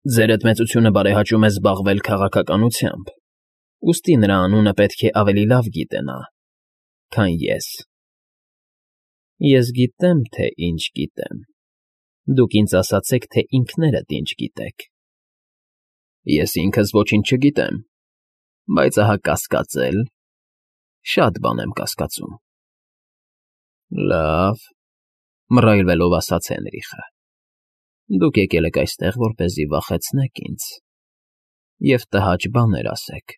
Ձերդ մեծությունը բարեհաճում է զբաղվել քաղաքականությամբ, ուստի նրա անունը պետք է ավելի լավ գիտենա, քան ես։ Ես գիտեմ, թե ինչ գիտեմ, դուք ինձ ասացեք, թե ինքներդ ինչ գիտեք։ Ես ինքս ոչինչ չգիտեմ, բայց ահա կասկածել, շատ բան եմ կասկածում։ Լավ, մռայլվելով ասաց Հենրիխը, դուք եկել եք այստեղ, որպեսզի վախեցնեք ինձ և տհաճ բաներ ասեք,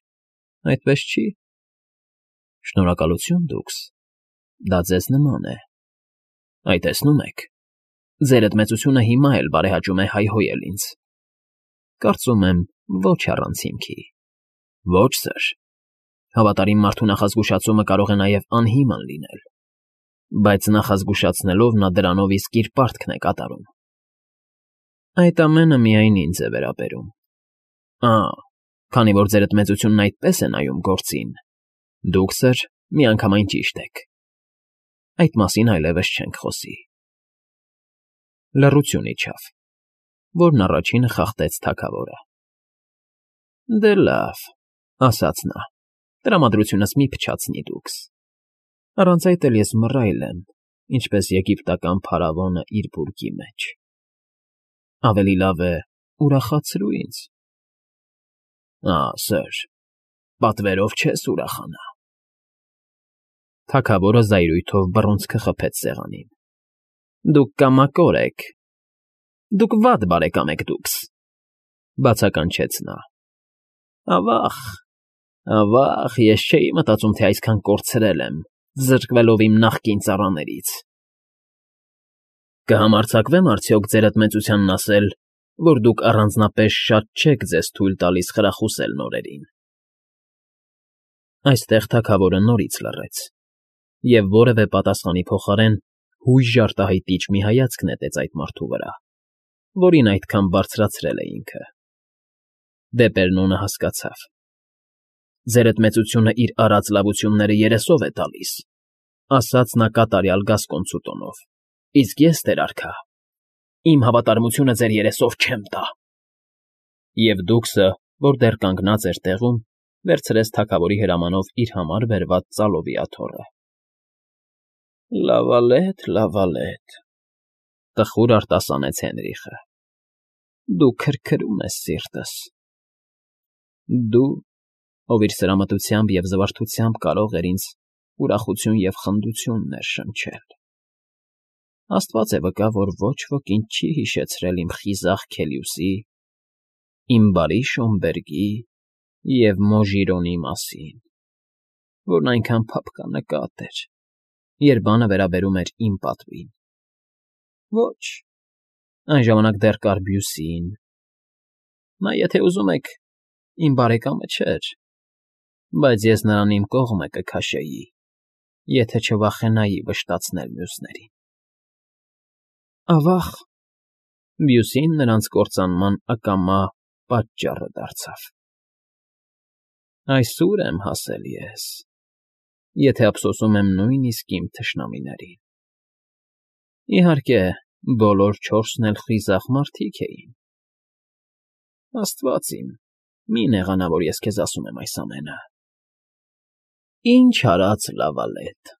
այդպես չի։ Շնորհակալություն, դուքս, դա ձեզ նման է։ Այ տեսնում եք, ձերդ մեծությունը հիմա էլ բարեհաճում է հայհոյել ինձ։ Կարծում եմ, ոչ առանց հիմքի։ Ոչ, սըր, հավատարիմ մարդու նախազգուշացումը կարող է նաև անհիմն լինել, բայց նախազգուշացնելով նա դրանով իսկ իր պարտքն է կատարում։ Այդ ամենը միայն ինձ է վերաբերում։ Քանի որ ձերդ մեծությունն այդպես է նայում գործին, դուք, սըր, միանգամայն ճիշտ եք։ Այդ մասին այլևս չենք խոսի։ Լռություն իջավ, որն առաջինը խախտեց թագավորը։ Դե լավ, ասաց նա, տրամադրությունս մի փչացնի դուքս։ Առանց այդ էլ ես մռայլ եմ, ինչպես եգիպտական փարավոնը իր բուրգի մեջ։ Ավելի լավ է ուրախացրու ինձ։ Սըր, պատվերով չես ուրախանա։ Թագավորը զայրույթով բռունցքը խփեց սեղանին։ Դուք կամակոր եք։ Դուք վատ բարեկամ եք դուքս, բացականչեց նա։ Ավա՜ղ, ես չէի մտածում, թե այսքան կորցրել եմ, զրկվելով իմ նախկին ծառաներից։ Կհամարձակվե՞մ արդյոք ձերդ մեծությանն ասել, որ դուք առանձնապես շատ չեք ձեզ թույլ տալիս խրախուսել նորերին։ Այստեղ թագավորը նորից լռեց, և որևէ պատասխանի փոխարեն հույժ արտահայտիչ մի հայացք նետեց այդ մարդու վրա, որին այդքան բարձրացրել է ինքը։ Դեպերնոնը հասկացավ։ Ձերդ մեծությունը իր արած լավությունները երեսով է տալիս, ասաց նա կատարյալ գասկոնցու տոնով, իսկ ես, տեր արքա, իմ հավատարմությունը ձեր երեսով չեմ տա։ Եվ դուքսը, որ դեռ կանգնած էր տեղում, վերցրեց թագավորի հրամանով իր համար բերված ծալովի աթոռը։ Լավալետ, տխուր արտասանեց Հենրիխը, դու քրքրում ես սիրտս։ Դու, ով իր սրամտությամբ և զվարթությամբ կարող էր ինձ ուրախություն և խնդություն ներշնչել։ Աստված է վկա, որ ոչ ոք ինձ չի հիշեցրել իմ խիզախ Քելիուսի, իմ բարի Շոմբերգի և Մոժիրոնի մասին, որն այնքան փափկանկատ էր, երբ բանը վերաբերում էր իմ պատվին։ Ոչ, այն ժամանակ դեռ կար Բյուսին։ Նա, եթե ուզում եք, իմ բարեկամը չէր, բայց ես նրան իմ կողմը կքաշեի, եթե չվախենայի վշտացնել մյուսներին։ Ավա՜ղ, Բյուսին նրանց կործանման ակամա պատճառը դարձավ։ Այսուր եմ հասել ես, եթե ափսոսում եմ նույնիսկ իմ թշնամիներին։ Իհարկե, բոլոր չորսն էլ խիզախ մարդիկ էին։ Աստված իմ, մի նեղանա, որ ես քեզ ասում եմ այս ամենը։ Ինչ արած, լավալետ,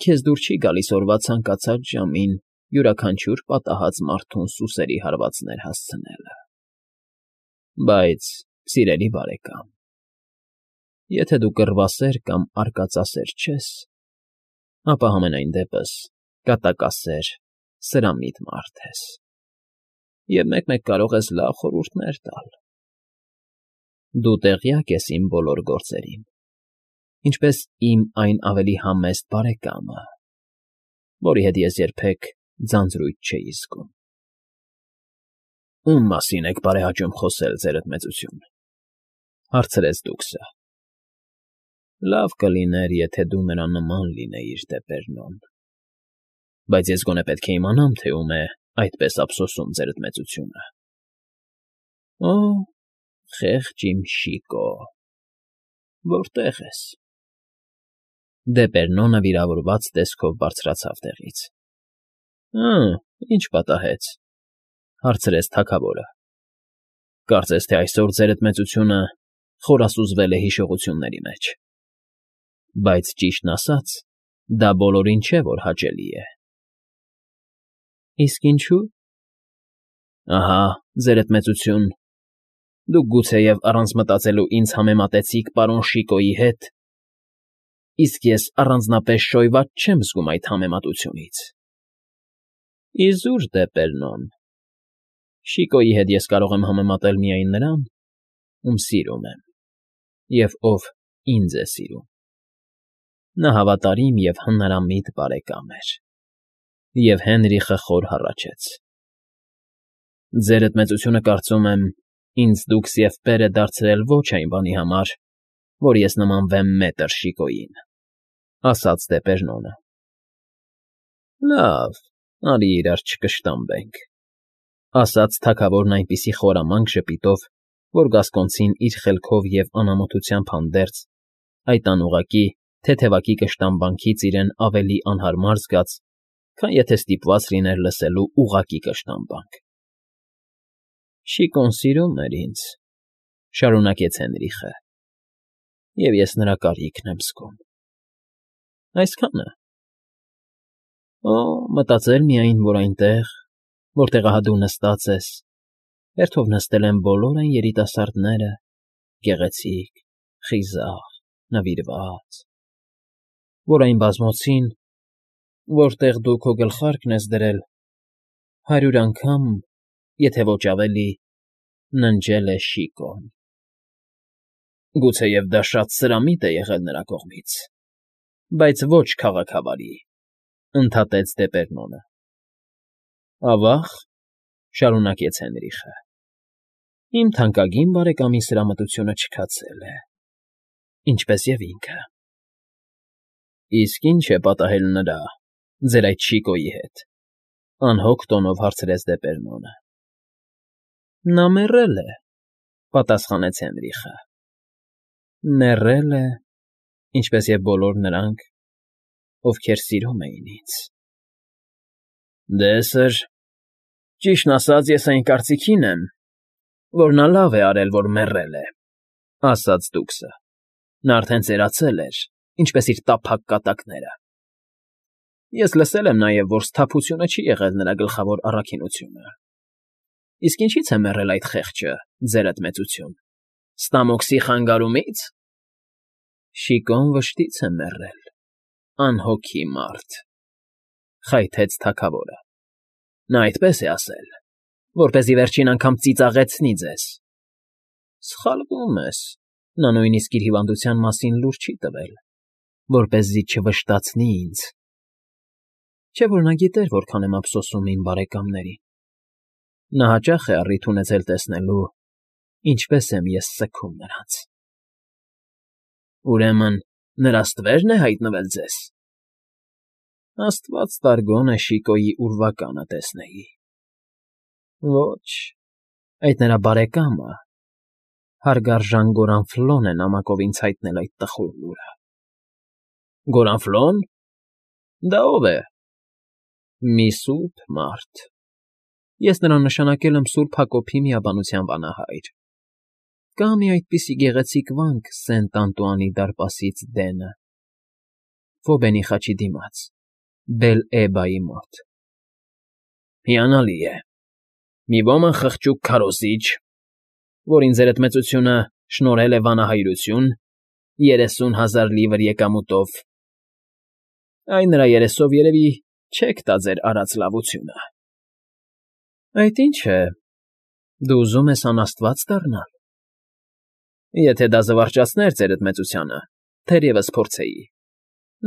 քեզ դուր չի գալիս օրվա ցանկացած ժամին յուրաքանչյուր պատահած մարդուն սուսերի հարվածներ հասցնելը։ Բայց, սիրելի բարեկամ, եթե դու կռվասեր կամ արկածասեր չես, ապա համենայն դեպս կատակասեր, սրամիտ մարդ ես, և մեկ֊մեկ կարող ես լավ խորհուրդներ տալ։ Դու տեղյակ ես իմ բոլոր գործերին, ինչպես իմ այն ավելի համեստ բարեկամը, որի հետ ես երբեք ձանձրույթ չէի զգում։ Ո՞ւմ մասին եք բարեհաճում խոսել, ձերդ մեծություն, հարցրեց դուքսը։ Լավ կլիներ, եթե դու նրա նման լինեիր, Դեպերնոն, բայց ես գոնե պետք է իմանամ, թե ում է այդպես ափսոսում ձերդ մեծությունը։ Օ, խեղճ իմ Շիկո, որտե՞ղ ես։ Դեպերնոնը վիրավորված տեսքով բարձրացավ տեղից։ Ինչ պատահեց, հարցրեց թագավորը։ Կարծես թե այսօր ձերդ մեծությունը խորասուզվել է հիշողությունների մեջ, բայց ճիշտն ասած, դա բոլորին չէ, որ հաճելի է։ Իսկ ինչու՞։ Ահա, ձերդ մեծություն, դուք գուցեև առանց մտածելու ինձ համեմատեցիք պարոն Շիկոյի հետ, իսկ ես առանձնապես շոյված չեմ զգում այդ համեմատությունից։ Իզուր դե, Պերնոն, Շիկոյի հետ ես կարող եմ համեմատել միայն նրան, ում սիրում եմ, և ով ինձ է սիրում։ Նա հավատարիմ և հնարամիտ բարեկամ էր։ Եվ Հենրիխը խոր հառաչեց. Ձերդ մեծությունը կարծում եմ, ինձ դուքս և պեր է դարձրել ոչ այն բանի համար, որ ես նմանվեմ մետր Շիկոյին, ասաց դե Պերնոնը։ Լավ, արի իրար չկշտամբենք, ասաց թագավորն այնպիսի խորամանկ ժպիտով, որ Գասկոնցին իր խելքով և անամոթությամբ հանդերձ այդ անուղղակի թեթևակի կշտամբանքից իրեն ավելի անհարմար զգաց, քան եթե ստիպված լիներ լսելու ուղղակի կշտամբանք։ Շիկոն սիրում էր ինձ, շարունակեց Հենրիխը, և ես նրա կարիքն եմ զգում։ Այսքանը։ Օ, մտածել միայն, որ այնտեղ, որտեղ ահա դու նստած ես, հերթով նստել են բոլոր այն երիտասարդները, գեղեցիկ, խիզախ, նվիրված, որ այն բազմոցին, որտեղ դու քո գլխարկն ես դրել, 100 անգամ, եթե ոչ ավելի, ննջել է Շիկոն։ Գուցեև դա շատ սրամիտ է եղել նրա կողմից, բայց ոչ քաղաքավարի, ընդհատեց դե Պերնոնը։ Ավա՞ղ, շարունակեց Հենրիխը, իմ թանկագին բարեկամի սրամտությունը չքացել է, ինչպես և ինքը։ Իսկ ի՞նչ է պատահել նրա, ձեր այդ Շիկոյի հետ, անհոգ տոնով հարցրեց դե Պերնոնը։ Նա մեռել է, պատասխանեց Հենրիխը։ Մեռել է, ինչպես և բոլոր նրանք, ովքեր սիրում էին ինձ։ Դե, սըր, ճիշտն ասած, ես այն կարծիքին եմ, որ նա լավ է արել, որ մեռել է, ասաց դուքսը։ Նա արդեն ծերացել էր, ինչպես իր տափակ կատակները։ Ես լսել եմ նաև, որ սթափությունը չի եղել նրա գլխավոր առաքինությունը։ Իսկ ինչի՞ց է մեռել այդ խեղճը, ձերդ մեծություն, Ստամոքսի խանգարումի՞ց։ Շիկոն վշտից է մեռել, անհոգի մարդ, խայթեց թագավորը։ Նա այդպես է ասել, որպեսզի վերջին անգամ ծիծաղեցնի ձեզ։ Սխալվում ես, նա նույնիսկ իր հիվանդության մասին լուր չի տվել, որպեսզի չվշտացնի ինձ։ Չէ՞ որ նա գիտեր, որքան եմ ափսոսում իմ բարեկամներին։ Նա հաճախ է առիթ ունեցել տեսնելու, ինչպես եմ ես սգում նրանց։ Ուրեմն նրա ստվե՞րն է հայտնվել ձեզ։ Աստված տարգոն է Շիկոյի ուրվականը տեսնեի։ Ոչ, այդ նրա բարեկամը, հարգարժան Գորանֆլոն է նամակով ինձ հայտնել այդ տխուր լուրը։ Գորանֆլո՞ն։ Դա ո՞վ է։ Մի սուրբ մարդ։ Ես նրան նշանակել եմ Սուրբ Հակոբի միաբանության վանահայր։ Կա մի այդպիսի գեղեցիկ վանք Սենտ Անտուանի դարպասից դենը, Ֆոբենի խաչի դիմաց, Բել֊Էբայի մոտ։ Հիանալի է։ Մի ոմն խղճուկ քարոզիչ, որին ձերդ մեծությունը շնորհել է վանահայրություն 30,000 լիվր եկամուտով։ Այն նրա երեսով երևի չեք տա ձեր արած լավությունը։ Այդ ի՞նչ է, դու ուզում ես անաստված դառնալ։ Եթե դա զվարճացներ ձերդ մեծությանը, թերևս փորձեի։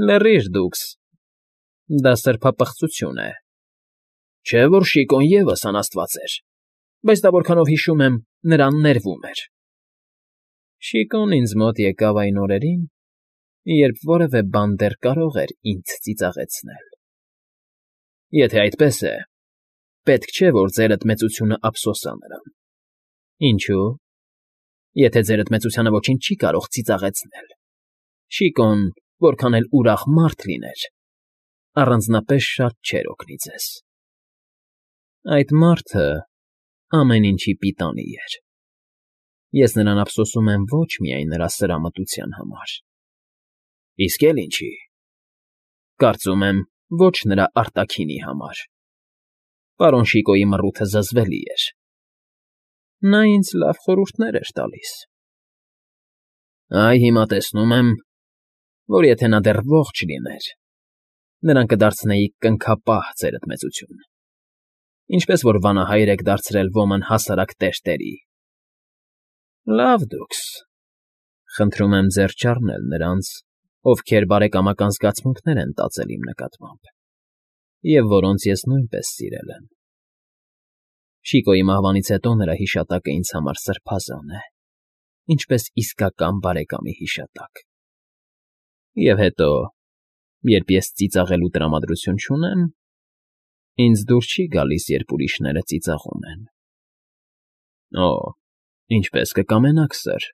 Լռիր դուքս, դա սրբապղծություն է։ Չէ՞ որ Շիկոն ևս անաստված էր, բայց դա որքանով հիշում եմ, նրան ներվում էր։ Շիկոն ինձ մոտ եկավ այն օրերին, երբ որևէ բան դեռ կարող էր ինձ ծիծաղեցնել։ Եթե այդպես է, պետք չէ, որ ձերդ մեծությունը ափսոսա նրան։ Ինչո՞ւ։ Եթե ձերդ մեծությանը ոչինչ չի կարող ծիծաղեցնել։ Շիկոն, որքան էլ ուրախ մարդ լիներ, առանձնապես շատ չէր օգնի ձեզ։ Այդ մարդը ամեն ինչի պիտանի էր։ Ես նրան ափսոսում եմ ոչ միայն նրա սրամտության համար, իսկ էլ ինչի, կարծում եմ, ոչ նրա արտաքինի համար։ Պարոն Շիկոյի մռութը զզվելի էր։ Նա ինձ լավ խորհուրդներ էր տալիս։ Այ հիմա տեսնում եմ, որ եթե նա դեռ ողջ լիներ, նրան կդարձնեիք կնքապահ, ձերդ մեծություն, ինչպես որ վանահայր եք դարձրել ոմն հասարակ տերտերի։ Լավ դուքս, խնդրում եմ ձեռ չառնել նրանց, ովքեր բարեկամական զգացմունքներ են տածել իմ նկատմամբ, և որոնց ես նույնպես սիրել եմ։ Շիկոյի մահվանից հետո նրա հիշատակը ինձ համար սրբազան է, ինչպես իսկական բարեկամի հիշատակ։ Եվ հետո, երբ ես ծիծաղելու տրամադրություն չունեմ, ինձ դուր չի գալիս, երբ ուրիշները ծիծաղում են։ Օ, ինչպես կկամենաք, սըր,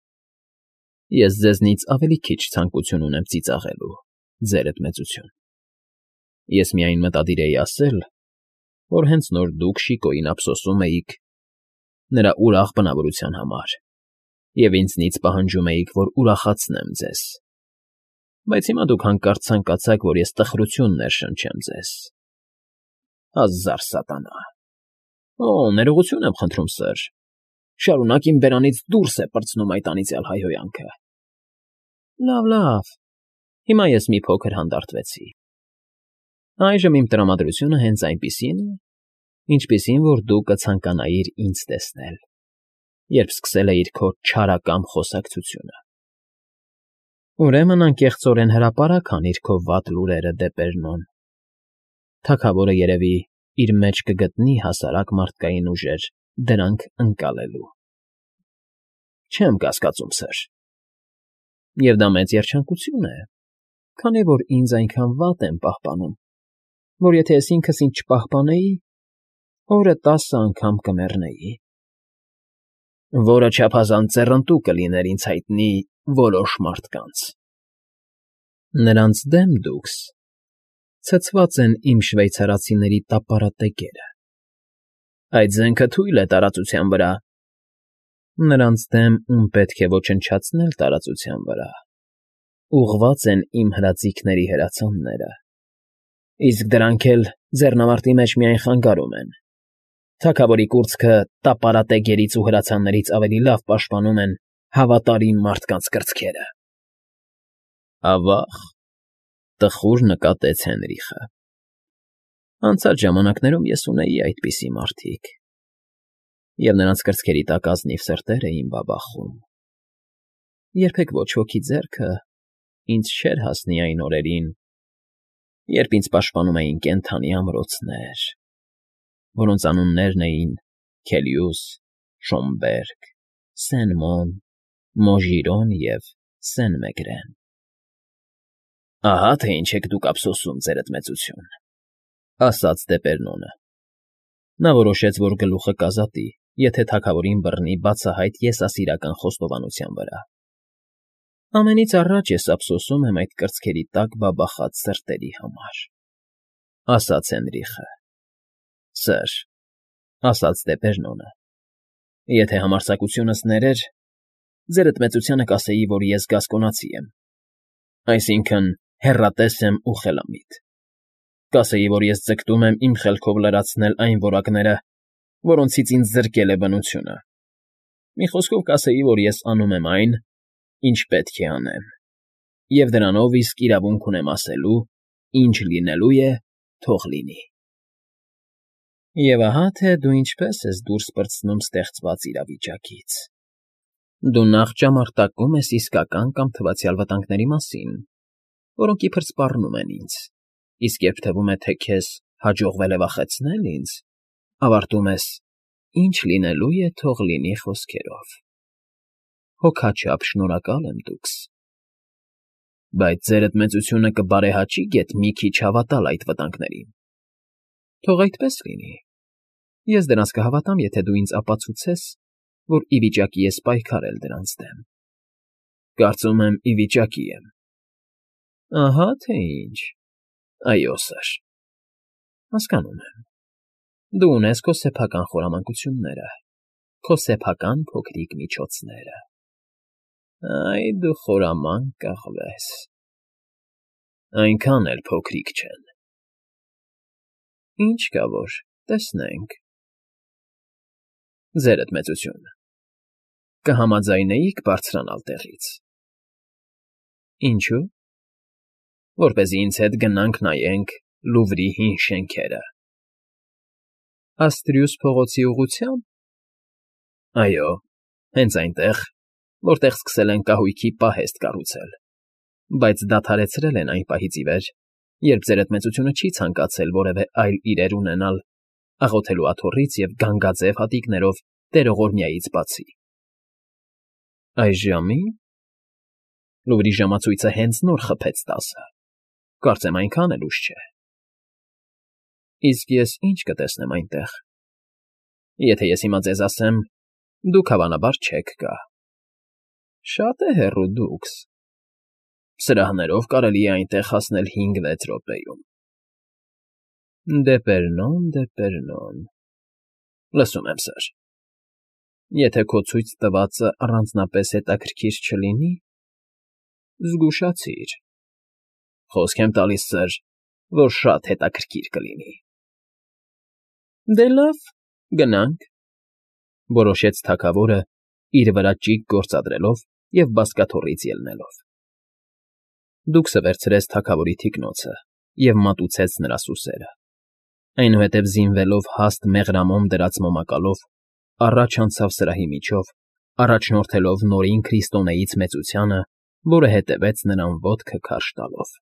ես ձեզնից ավելի քիչ ցանկություն ունեմ ծիծաղելու, ձերդ մեծություն։ Ես միայն մտադիր էի ասել, որ հենց նոր դուք Շիկոյին ափսոսում էիք նրա ուրախ բնավորության համար, և ինձնից պահանջում էիք, որ ուրախացնեմ ձեզ, բայց հիմա դուք հանկարծ ցանկացաք, որ ես տխրություն ներշնչեմ ձեզ։ Ազար սատանա։ Օ, ներողություն եմ խնդրում, սըր, շարունակ իմ բերանից դուրս է պրծնում այդ անիծյալ հայհոյանքը։ Լավ, հիմա ես մի փոքր հանդարտվեցի։ Այժմ իմ տրամադրությունը հենց այնպիսին է, ինչպիսին որ դու կցանկանայիր ինձ տեսնել, երբ սկսել էիր քո չարակամ խոսակցությունը։ Ուրեմն անկեղծորեն հրապարակ անիր քո վատ լուրերը, Դեպերնոն։ Թագավորը երևի իր մեջ կգտնի հասարակ մարդկային ուժեր դրանք ընկալելու։ Չեմ կասկածում, սըր։ Եվ դա մեծ երջանկություն է, քանի որ ինձ այնքան վատ եմ պահպանում, որ եթե ես ինքս ինձ չպահպանեի, օրը 10 անգամ կմեռնեի։ Որը չափազանց ձեռնտու կլիներ ինձ հայտնի որոշ մարդկանց։ Նրանց դեմ, դուքս, ցցված են իմ շվեյցարացիների տապարատեգերը։ Այդ զենքը թույլ է տարածության վրա։ Նրանց դեմ, ում պետք է ոչնչացնել տարածության վրա, ուղղված են իմ հրաձիգների հրացանները, իսկ դրանք էլ ձեռնամարտի մեջ միայն խանգարում են։ Թագավորի կուրծքը տապարատեգերից ու հրացաններից ավելի լավ պաշտպանում են հավատարիմ մարդկանց կրծքերը։ Ավա՜ղ,֊ տխուր նկատեց Հենրիխը։ Անցած ժամանակներում ես ունեի այդպիսի մարդիկ, և նրանց կրծքերի տակ ազնիվ սրտեր էին բաբախում։ Երբեք ոչ ոքի ձեռքը ինձ չէր հասնի այն օրերին, երբ ինձ պաշտպանում էին կենդանի ամրոցներ, որոնց անուններն էին Քելիուս, Շոմբերգ, Սեն֊Մոն, Մոժիրոն և Սեն֊Մեգրեն։ Ահա թե ինչ եք դուք ափսոսում, ձերդ մեծություն,֊ ասաց Դեպերնոնը։ Նա որոշեց, որ գլուխը կազատի, եթե թագավորին բռնի բացահայտ եսասիրական խոստովանության վրա։ Ամենից առաջ ես ափսոսում եմ այդ կրծքերի տակ բաբախած սրտերի համար, ասաց Հենրիխը։ Սըր, ասաց Դեպերնոնը, եթե համարձակությունս ներեր, ձերդ մեծությանը կասեի, որ ես գասկոնացի եմ, այսինքն հեռատես եմ ու խելամիտ։ Կասեի, որ ես ձգտում եմ իմ խելքով լրացնել այն որակները, որոնցից ինձ զրկել է բնությունը։ Մի խոսքով կասեի, որ ես անում եմ այն, ինչ պետք է անեմ, և դրանով իսկ իրավունք ունեմ ասելու, ինչ լինելու է, թող լինի։ Եվ ահա թե դու ինչպես ես դուրս պրծնում ստեղծված իրավիճակից։ Դու նախ ճամարտակում ես իսկական կամ թվացյալ վտանգների մասին, որոնք իբր սպառնում են ինձ, իսկ երբ թվում է, թե քեզ հաջողվել է վախեցնել ինձ, ավարտում ես. ինչ լինելու է, թող լինի խոսքերով։ Հոգաչափ շնորհակալ եմ դուքս։ Բայց ձերդ մեծությունը կբարեհաճի գեթ մի քիչ հավատալ այդ վտանգներին։ Թող այդպես լինի։ Ես դրանց կհավատամ, եթե դու ինձ ապացուցես, որ ի վիճակի ես պայքարել դրանց դեմ։ Կարծում եմ, ի վիճակի եմ։ Ահա թե ինչ։ Այո, սըր։ Հասկանում եմ։ Դու ունես քո սեփական խորամանկությունները, Քո սեփական փոքրիկ միջոցները։ Այ դու խորամանկ կաղվես։ Այնքան էլ փոքրիկ չեն։ Ինչ կա որ, տեսնենք։ Ձերդ մեծություն, կհամաձայնեիք բարձրանալ տեղից։ Ինչու՞։ Որպեսզի ինձ հետ գնանք նայենք Լուվրի հին շենքերը։ Աստրիուս փողոցի ուղղությա՞մ։ Այո, հենց այնտեղ, որտեղ սկսել են կահույքի պահեստ կառուցել, բայց դադարեցրել են այն պահից ի վեր, երբ ձերդ մեծությունը չի ցանկացել որևէ այլ իրեր ունենալ աղոթելու աթոռից և գանգաձև հատիկներով տերողորմյայից բացի։ Այս ժամի՞։ Լուվրի ժամացույցը հենց նոր խփեց 10-ը, կարծեմ այնքան էլ ուշ չէ։ Իսկ ես ինչ կտեսնեմ այնտեղ։ Եթե ես հիմա ձեզ ասեմ, դուք հավանաբար չեք գա։ Շատ է հեռու դուքս։ Սրահներով կարելի է այնտեղ հասնել 5-6 րոպեում։ Դեպերնոն։ Լսում եմ, սըր։ Եթե քո ցույց տվածը առանձնապես հետաքրքիր չլինի, զգուշացիր։ Խոսք եմ տալիս, սըր, որ շատ հետաքրքիր կլինի։ Դե լավ, գնանք, որոշեց թագավորը, իր վրա ճիգ գործադրելով և բազկաթոռից ելնելով։ Դուքսը վերցրեց թագավորի թիկնոցը և մատուցեց նրա սուսերը, այնուհետև զինվելով հաստ մեղրամոմ դրած մոմակալով, առաջ անցավ սրահի միջով, առաջնորդելով նորին Քրիստոնեից մեծությանը, որը հետևեց նրան ոտքը քարշ տալով։